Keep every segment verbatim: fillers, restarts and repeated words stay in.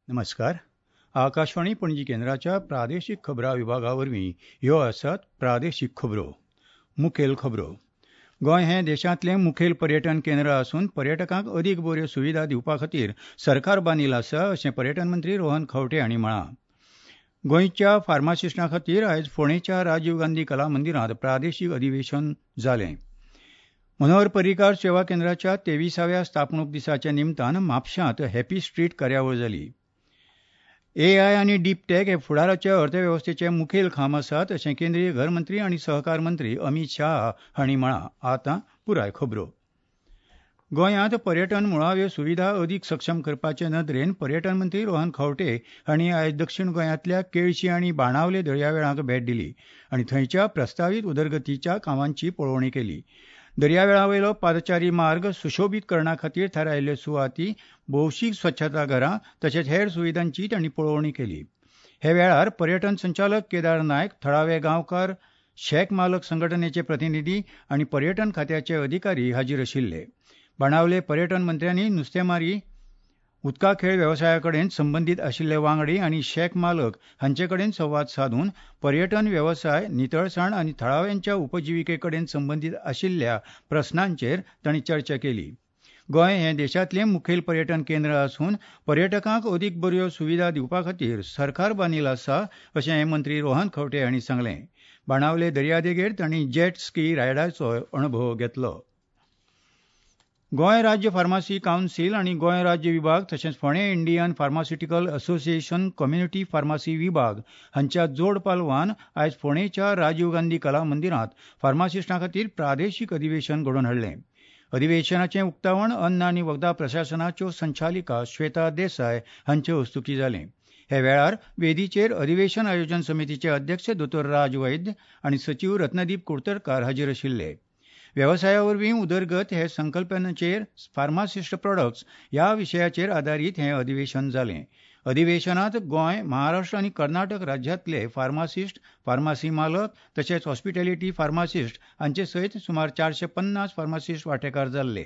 नमस्कार. आकाशवाणी पणजी केंद्राच्या प्रादेशीक खबरां विभागा वरवीं ह्यो आसात प्रादेशीक खबरो. मुखेल खबरो. गोंय हें देशांतलें मुखेल पर्यटन केंद्र आसून पर्यटकांक अदीक बऱ्यो सुविधा दिवपा खातीर सरकार बांदील आसा अशें पर्यटन मंत्री रोहन खंवटे हांणी म्हळां. गोंयच्या फार्मासिस्टां खातीर आयज फोंडेंच्या राजीव गांधी कला मंदिरांत प्रादेशीक अधिवेशन जालें. मनोहर पर्रीकार सेवा केंद्राच्या तेविसाव्या स्थापणूक दिसाच्या निमतान म्हापशांत हॅपी स्ट्रीट कार्यावळ जाली. एआय आनी डीप टॅक हे फुडाराच्या अर्थवेवस्थेचे मुखेल खांब आसात अशें केंद्रीय घर मंत्री आनी सहकार मंत्री अमीत शाह हांणी म्हळां. आतां पुराय खबरो. गोंयांत पर्यटन मुळाव्यो सुविधा अदीक सक्षम करपाचे नदरेन पर्यटन मंत्री रोहन खंवटे हांणी आयज दक्षीण गोंयांतल्या केळशी आनी बाणावले दर्यावेळांक भेट दिली आनी थंयच्या प्रस्तावीत उदरगतीच्या कामांची पळोवणी केली. दर्यावेळावयलो पादचारी मार्ग सुशोबीत करणा खातीर थारायल्ल्यो सुवाती, भौशीक स्वच्छता घरां तशेंच हेर सुविधांची तांणी पळोवणी केली. हे वेळार पर्यटन संचालक केदार नायक, थळावे गांवकार, शॅक मालक संघटनेचे प्रतिनिधी आनी पर्यटन खात्याचे अधिकारी हाजीर आशिल्ले. बाणावले पर्यटन मंत्र्यांनी नुस्तेमारी, उदका खेळ वेवसाया कडेन संबंदीत आशिल्ले वांगडी आनी शॅक मालक हांचे कडेन संवाद सादून पर्यटन वेवसाय, नितळसाण आनी थळाव्यांच्या उपजिविके कडेन संबंदीत आशिल्ल्या प्रस्नांचेर तांणी चर्चा केली. गोंय हें देशांतलें मुखेल पर्यटन केंद्र आसून पर्यटकांक अदीक बऱ्यो सुविधा दिवपा खातीर सरकार बांदील आसा अशें मंत्री रोहन खंवटे हांणी सांगलें. बाणावले दर्यादेगेर तांणी जेट स्की रायडाचो अणभव घेतलो. गोंय राज्य फार्मासी कावन्सील आनी गोंय राज्य विभाग तशेंच फोंडें Indian pharmaceutical association community pharmacy विभाग हांच्या जोड पालवान आयज फोंडेंच्या राजीव गांधी कला मंदिरांत फार्मासिस्टां खातीर प्रादेशीक अधिवेशन घडोवन हाडलें. अधिवेशनाचें उक्तावण अन्न आनी वखदां प्रशासनाच्यो संचालिका श्वेता देसाय हांचे हस्तुकीं जालें. हे वेळार वेदीचेर अधिवेशन आयोजन समितीचे अध्यक्ष दोतोर राज वैद्य आनी सचीव रत्नदीप कुडतरकार हाजीर आशिल्ले. वेवसाया वरवीं उदरगत हे संकल्पनेचेर फार्मासिस्ट प्रॉडक्ट्स ह्या विशयाचेर आदारीत हें अधिवेशन जालें. अधिवेशनांत गोंय, महाराष्ट्र आनी कर्नाटक राज्यांतले फार्मासिस्ट, फार्मासी मालक तशेंच हॉस्पिटॅलिटी फार्मासिस्ट हांचे सयत सुमार चारशे पन्नास फार्मासिस्ट वांटेकार जाल्ले.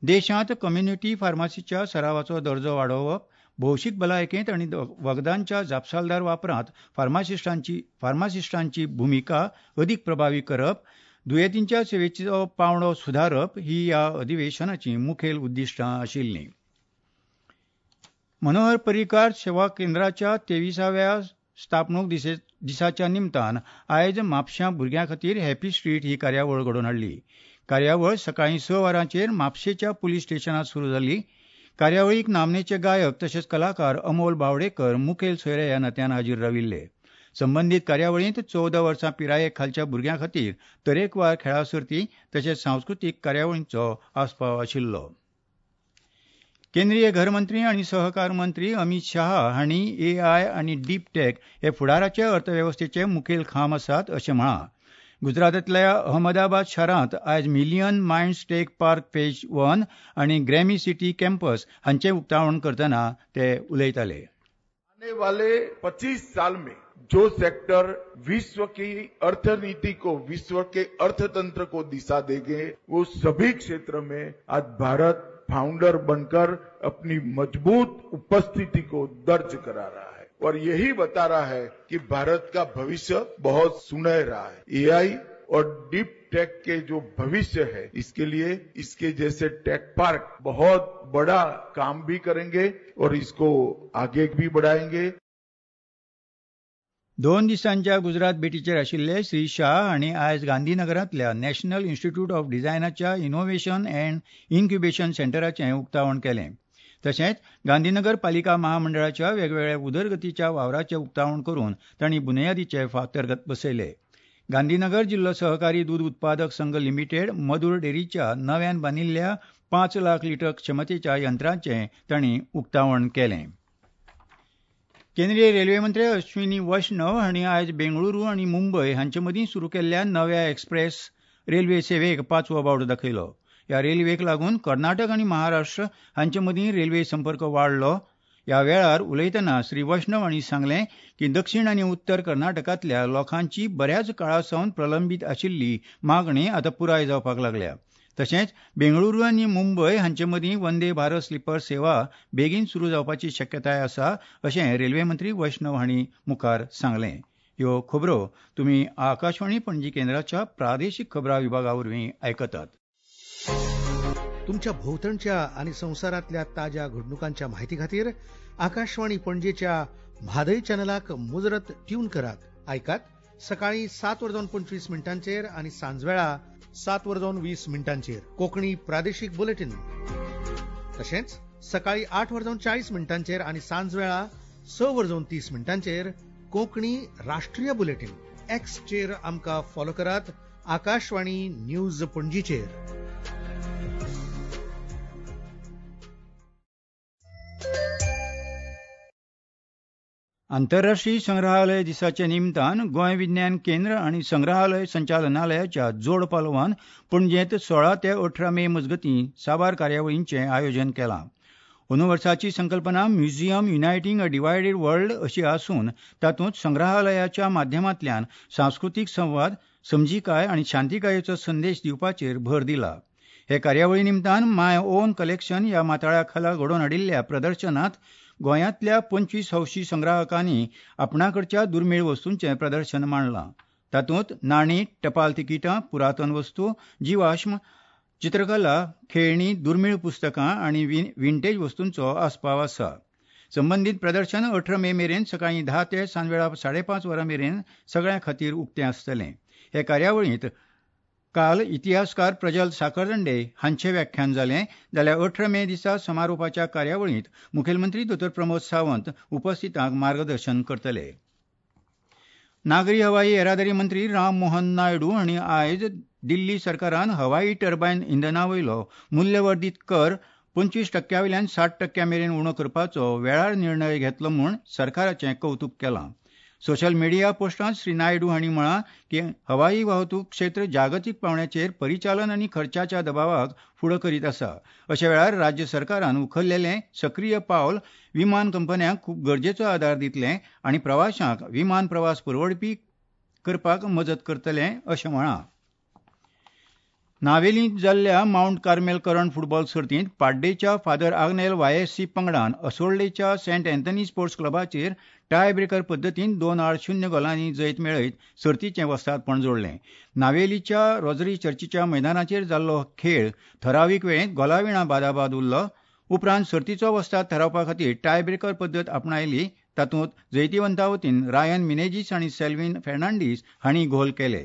देशांत कम्युनिटी फार्मासीच्या सरावाचो दर्जो वाडोवप, भौशीक भलायकेंत आनी वखदांच्या जापसालदार वापरांत फार्मासिस्टांची फार्मासिस्टांची भुमिका अदीक प्रभावी करप, दुयेंतींच्या सेवेचो पांवडो सुदारप ही ह्या अधिवेशनाची मुखेल उद्दिश्टां आशिल्लीं. मनोहर पर्रीकार सेवा केंद्राच्या तेविसाव्या स्थापणूक दिसाच्या निमतान आयज म्हापशां भुरग्यां खातीर हॅपी स्ट्रीट ही कार्यावळ घडोवन हाडली. कार्यावळ सकाळीं स वरांचेर म्हापशेच्या पुलीस स्टेशनांत सुरू जाली. कार्यावळीक नामनेचे गायक तशेंच कलाकार अमोल बावडेकर मुखेल सोयरे ह्या नात्यान हाजीर राविल्ले. संबंदीत कार्यावळींत चवदा वर्सां पिराये खालच्या भुरग्यां खातीर तरेकवार खेळां सर्ती तशेंच सांस्कृतीक कार्यावळींचो आस्पाव आशिल्लो. केंद्रीय घरमंत्री आनी सहकार मंत्री अमीत शाह हांणी एआय आनी डीप टॅक हे फुडाराचे अर्थवेवस्थेचे मुखेल खांब आसात अशें म्हळां. गुजरातांतल्या अहमदाबाद शारांत आयज million minds tech park phase one आनी ग्रॅमी सिटी कॅम्पस हांचें उक्तावण करतना ते उलयताले. आने वाले पच्चीस साल में जो सेक्टर विश्व की अर्थनीति को, विश्व के अर्थतंत्र को दिशा देंगे, वो सभी क्षेत्र में आज भारत फाउंडर बनकर अपनी मजबूत उपस्थिति को दर्ज करा रहा है और यही बता रहा है कि भारत का भविष्य बहुत सुनहरा है. एआई और डीप टेक के जो भविष्य है, इसके लिए इसके जैसे टेक पार्क बहुत बड़ा काम भी करेंगे और इसको आगे भी बढ़ाएंगे. दोन दिसांच्या गुजरात भेटीचेर आशिल्ले श्री शाह हांणी आयज गांधीनगरांतल्या नॅशनल इन्स्टिट्यूट ऑफ डिझायनाच्या इनोव्हेशन अँड इन्क्युबेशन सेंटराचें उक्तावण केलें. तशेंच गांधीनगर पालिका महामंडळाच्या वेगवेगळ्या उदरगतीच्या वावराचें उक्तावण करून तांणी बुन्यादीचे फातर बसयले. गांधीनगर जिल्लो सहकारी दूद उत्पादक संघ लिमिटेड मधूर डेअरीच्या नव्यान बांदिल्ल्या पांच लाख लिटर क्षमतेच्या यंत्रांचें तांणी उक्तावण केलें. केंद्रीय रेल्वे मंत्री अश्विनी वैष्णव हांणी आयज बेंगळुरू आनी मुंबय हांचे मदीं सुरू केल्ल्या नव्या एक्सप्रेस रेल्वे सेवेक पांचवो बावटो दाखयलो. ह्या रेल्वेक लागून कर्नाटक आनी महाराष्ट्र हांचे मदीं रेल्वे संपर्क वाडलो. ह्या वेळार उलयतना श्री वैष्णव हांणी सांगलें की दक्षिण आनी उत्तर कर्नाटकांतल्या लोकांची बऱ्याच काळा सावन प्रलंबीत आशिल्ली मागणी आतां पुराय जावपाक लागल्या. तशेंच बेंगळुरू आनी मुंबय हांचे मदीं वंदे भारत स्लिपर सेवा बेगीन सुरू जावपाची शक्यताय आसा अशें रेल्वे मंत्री वैष्णव हांणी मुखार सांगलें. ह्यो खबरो तुमी आकाशवाणी पणजी केंद्राच्या प्रादेशीक खबरां विभागा वरवीं आयकतात. तुमच्या भोंवतणच्या आनी संवसारांतल्या ताज्या घडणुकांच्या माहिती खातीर आकाशवाणी पणजेच्या म्हादय चॅनलाक मुजरत ट्यून करात. आयकात सकाळी सात वरां पंचवीस मिनटांचेर आनी सांजवेळा सात वरां वीस मिनटांचेर कोंकणी प्रादेशीक बुलेटीन. तशेंच सकाळी आठ वरां चाळीस मिनटांचेर आनी सांजवेळा स वरां तीस मिनटांचेर कोंकणी राष्ट्रीय बुलेटीन. एक्सचेर आमकां फॉलो करात आकाशवाणी न्यूज पणजीचेर. आंतरराष्ट्रीय संग्रहालय दिसाच्या निमतान गोंय विज्ञान केंद्र आनी संग्रहालय संचालनालयाच्या जोड पालवान पणजेंत सोळा ते अठरा मे मजगतीं साबार कार्यावळींचें आयोजन केलां. अंदू वर्साची संकल्पना museum uniting a divided world अशी आसून तातूंत संग्रहालयाच्या माध्यमांतल्यान सांस्कृतीक संवाद, समजिकाय आनी शांतिकायेचो संदेश दिवपाचेर भर दिला. हे कार्यावळी निमतान my own collection ह्या माथाळ्या खाला घडोवन हाडिल्ल्या प्रदर्शनांत गोंयांतल्या पंचवीस हौशी संग्राहकांनी आपणाकडच्या दुर्मीळ वस्तूंचें प्रदर्शन मांडलां. तातूंत नाणी, टपाल तिकिटां, पुरातन वस्तू, जिवाश्म, चित्रकला, खेळणी, दुर्मीळ पुस्तकां आनी विंटेज वस्तूंचो आस्पाव आसा. संबंदीत प्रदर्शन अठरा मे मेरेन सकाळीं धा ते सांजवेळा साडेपांच वरां मेरेन सगळ्यां खातीर उक्तें आसतलें. हे कार्यावळींत काल इतिहासकार प्रजल साखरदांडे हांचें व्याख्यान जालें, जाल्यार अठरा मे दिसा समारोपाच्या कार्यावळींत मुखेलमंत्री दोतोर प्रमोद सावंत उपस्थितांक मार्गदर्शन करतले. नागरी हवाई येरादारी मंत्री राम मोहन नायडू हांणी आयज दिल्ली सरकारान हवाई टर्बायन इंधना वयलो मूल्यवर्धीत कर पंचवीस टक्क्या वयल्यान साठ टक्क्या मेरेन उणो करपाचो वेळार निर्णय घेतलो म्हूण सरकाराचें कवतूक केलां. सोशल मिडिया पोस्टांत श्री नायडू हांणी म्हळां की हवाई वाहतूक क्षेत्र जागतीक पांवड्याचेर परिचालन आनी खर्चाच्या दबावाक फुडो करीत आसा. अशा वेळार राज्य सरकारान उखल्लेलें सक्रीय पावल विमान कंपन्यांक खूब गरजेचो आदार दितलें आनी प्रवाशांक विमान प्रवास परवडपी करपाक मजत करतलें अशें म्हळां. नावेलींत जाल्ल्या मावंट कार्मेल करंड फुटबॉल सर्तींत पाड्डेच्या फादर आग्नेल वायएससी पंगडान असोल्डेच्या सेंट अँथनी स्पोर्ट्स क्लबाचेर टाय ब्रेकर पद्दतीन दोन आड शून्य गोलांनी जैत मेळयत सर्तीचें वस्तादपण जोडलें. नावेलीच्या रोजरी चर्चीच्या मैदानाचेर जाल्लो खेळ थरावीक वेळेंत गोलाविणा बादाबाद उरलो. उपरांत सर्तीचो वस्ताद थारावपा खातीर टाय ब्रेकर पद्दत आपणायली. तातूंत जैतिवंता वतीन रायन मिनेजीस आनी सेल्विन फेर्नांडीस हांणी गोल केले.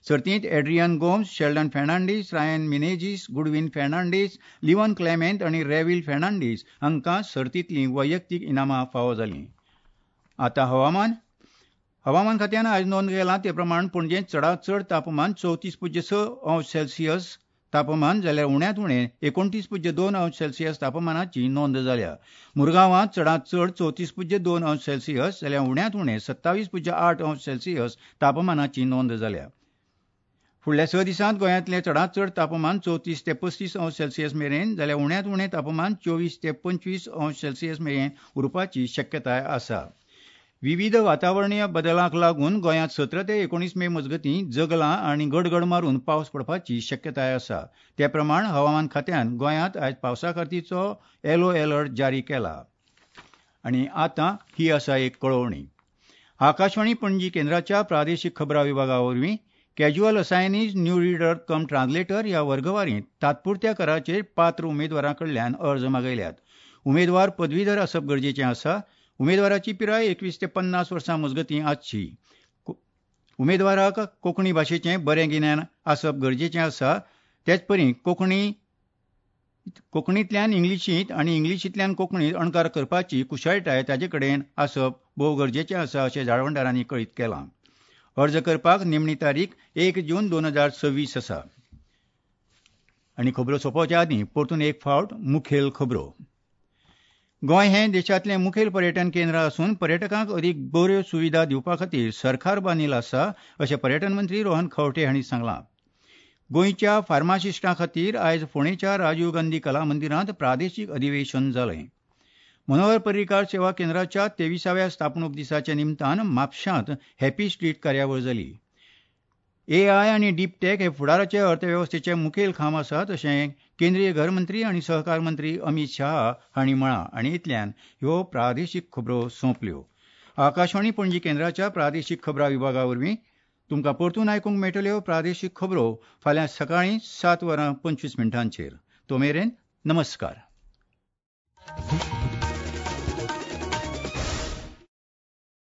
सर्तींत Adrian Gomes, Sheldon Fernandes, Ryan Menezes, Goodwin Fernandes, Livon Clement आनी रेविल फेर्नांडीस हांकां सर्तींतलीं वैयक्तीक इनामां फावो जालीं. आतां हवामान. हवामान खात्यान आयज नोंद केलां ते प्रमाण पणजेंत चडांत चड तापमान चवतीस पुज्य स अंश सेल्सियस तापमान जाल्यार उण्यांत उणें एकोणतीस पुज्य दोन अंश सेल्सियस तापमानाची नोंद जाल्या. मुरगांवांत चडांत चड चवतीस पुज्य दोन अंश सेल्सियस जाल्यार उण्यांत उणें सत्तावीस पुज्य आठ अंश सेल्सियस तापमानाची नोंद जाल्या. फुडल्या स दिसांत गोंयांतलें चडांत चड तापमान चवतीस ते पस्तीस अंश सेल्सियस मेरेन जाल्यार उण्यांत उणें तापमान चोवीस ते पंचवीस अंश सेल्सियस मेरेन उरपाची शक्यताय आसा. विविध वातावरणीय बदलांक लागून गोंयांत सतरा ते एकोणीस मे मजगतीं जगलां आनी गडगड मारून पावस पडपाची शक्यताय आसा. ते प्रमाण हवामान खात्यान गोंयांत आयज पावसा खातीरचो येलो अलर्ट जारी केला. आनी आतां ही आसा एक कळोवणी. आकाशवाणी पणजी केंद्राच्या प्रादेशीक खबरां विभागा वरवीं casual assignees new reader cum translator ह्या वर्गवारींत तात्पुरत्या कराचेर पात्र उमेदवारां कडल्यान अर्ज मागयल्यात. उमेदवार पदवीधर आसप गरजेचें आसा. उमेदवाराची पिराय एकवीस ते पन्नास वर्सां मजगतीं आसची. उमेदवाराक कोंकणी भाशेचें बरें गिन्यान आसप गरजेचें आसा. तेचपरी कोंकणी कोंकणींतल्यान इंग्लिशींत आनी इंग्लिशींतल्यान कोंकणींत अणकार करपाची कुशळटाय ताजे कडेन आसप भोव गरजेचें आसा अशें जाळवणदारांनी कळीत केलां. अर्ज करपाक निमणी तारीख एक जून दोन हजार सव्वीस आसा. आनी खबरो सोंपोवच्या आदीं परतून एक फावट मुखेल खबरो. गोंय हें देशांतलें मुखेल पर्यटन केंद्र आसून पर्यटकांक अदीक बऱ्यो सुविधा दिवपा खातीर सरकार बांदील आसा अशें पर्यटन मंत्री रोहन खंवटे हांणी सांगलां. गोंयच्या फार्मासिस्टां खातीर आयज फोंडेच्या राजीव गांधी कला मंदिरांत प्रादेशीक अधिवेशन जालें. मनोहर पर्रीकार सेवा केंद्राच्या तेविसाव्या स्थापणूक दिसाच्या निमतान म्हापशांत हॅपी स्ट्रीट कार्यावळ जाली. एआय आनी डीप टेक हे फुडाराचे अर्थवेवस्थेचे मुखेल खांब आसात अशें केंद्रीय घर मंत्री आनी सहकार मंत्री अमीत शाह हांणी म्हळां आनी इतल्यान ह्यो प्रादेशीक खबरो सोंपल्यो. आकाशवाणी पणजी केंद्राच्या प्रादेशीक खबरां विभागा वरवीं तुमकां परतून आयकूंक मेळटल्यो प्रादेशीक खबरो फाल्यां सकाळीं सात वरां पंचवीस मिनटांचेर. तो मेरेन नमस्कार.